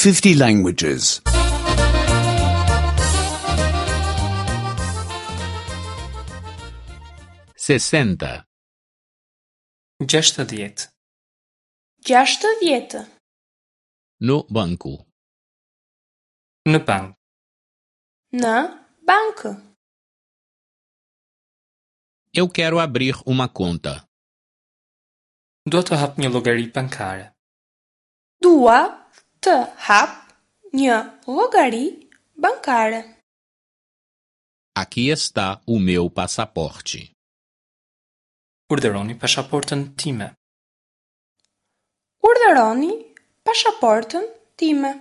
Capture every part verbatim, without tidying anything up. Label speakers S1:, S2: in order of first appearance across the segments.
S1: fifty languages.
S2: sessenta,
S3: Gjashtëdhjetë.
S4: Gjashtëdhjetë.
S2: No banco.
S3: Në bank.
S4: Në bankë.
S2: Eu quero abrir uma conta.
S3: Dua të hap një llogari bankare.
S4: Dua të hap një llogari bankare.
S2: Aqui está o meu passaporte.
S3: Urdhëroni pasaportën time.
S4: Urdhëroni pasaportën time.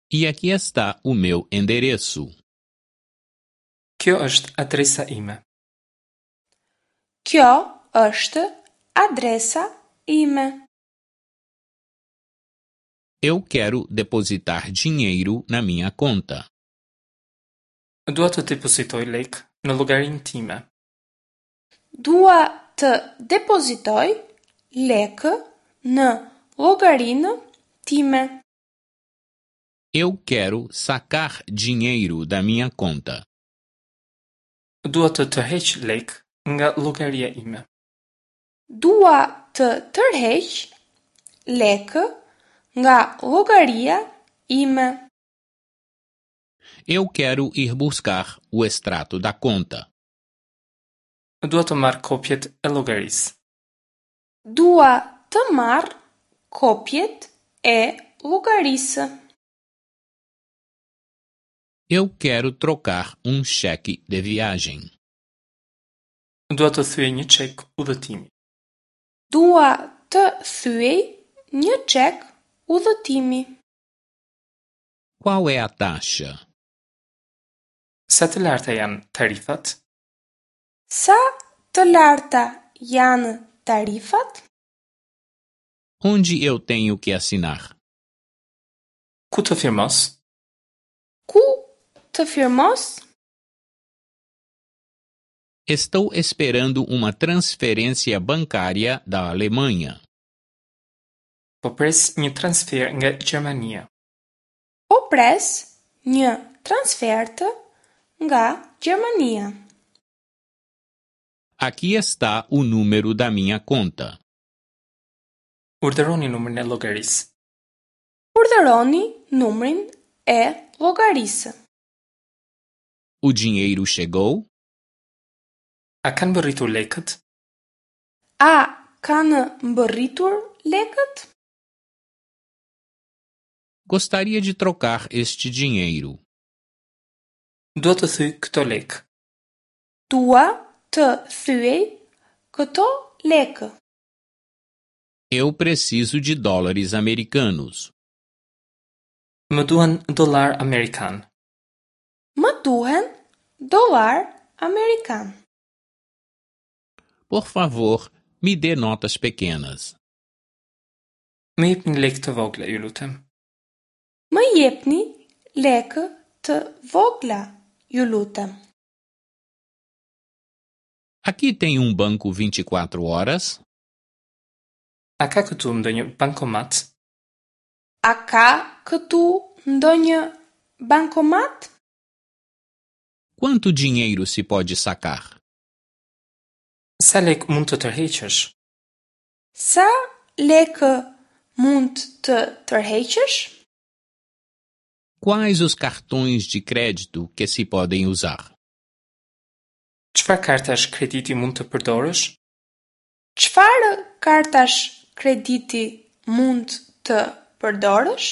S2: E aqui está o meu endereço.
S3: Kjo është adresa ime.
S4: Kjo është adresa ime.
S2: Eu quero depositar dinheiro na minha conta.
S3: Dua të depozitoj lekë në llogarinë time.
S4: Dua të depozitoj lekë në llogarinë time.
S2: Eu quero sacar dinheiro da minha conta.
S3: Dua të tërheq lekë nga llogaria ime.
S4: Dua të tërheq lekë nga llogaria ime.
S2: Eu quero ir buscar o extrato da conta.
S3: Dua të marr kopjet e llogarisë.
S4: Dua të marr kopjet e llogarisë.
S2: Eu quero trocar um cheque de viagem.
S3: Dua të thyej një çek udhëtimi.
S4: Dua të thyej një çek udhëtimi.
S2: Qual é a taxa?
S3: Sa të larta janë tarifat?
S4: Sa të larta janë tarifat?
S2: Onde eu tenho que assinar?
S3: Ku të firmos?
S4: Ku të firmos?
S2: Estou esperando uma transferência bancária da Alemanha.
S3: Po pres një transfer nga Gjermania.
S4: Po pres një transfertë nga Gjermania.
S2: Aqui está o número da minha conta.
S3: Urdhëroni numrin e llogarisë.
S4: Urdhëroni numrin e llogarisë.
S2: O dinheiro chegou?
S3: A kanë mbërritur lekët?
S4: A kanë mbërritur lekët?
S2: Gostaria de trocar este dinheiro.
S3: Dua të thyej këto lekë.
S4: Dua të thyej këto lekë.
S2: Eu preciso de dólares americanos.
S3: Më duhen dollar amerikan.
S4: Më duhen dollar amerikan.
S2: Por favor, me dê notas pequenas.
S3: Më jepni lekë të vogla, ju lutem.
S4: Më jepni lekë të vogla, ju lutem.
S2: Aqui tem um banco vinte e quatro horas?
S3: A ka këtu ndonjë bankomat?
S4: A ka këtu ndonjë bankomat?
S2: Quanto dinheiro se pode sacar?
S3: Sa lekë mund të tërheqësh?
S4: Sa lekë mund të tërheqësh?
S2: Quais os cartões de crédito que se podem usar?
S3: Çfarë kartash krediti mund të përdorësh?
S4: Çfarë kartash krediti mund të përdorësh?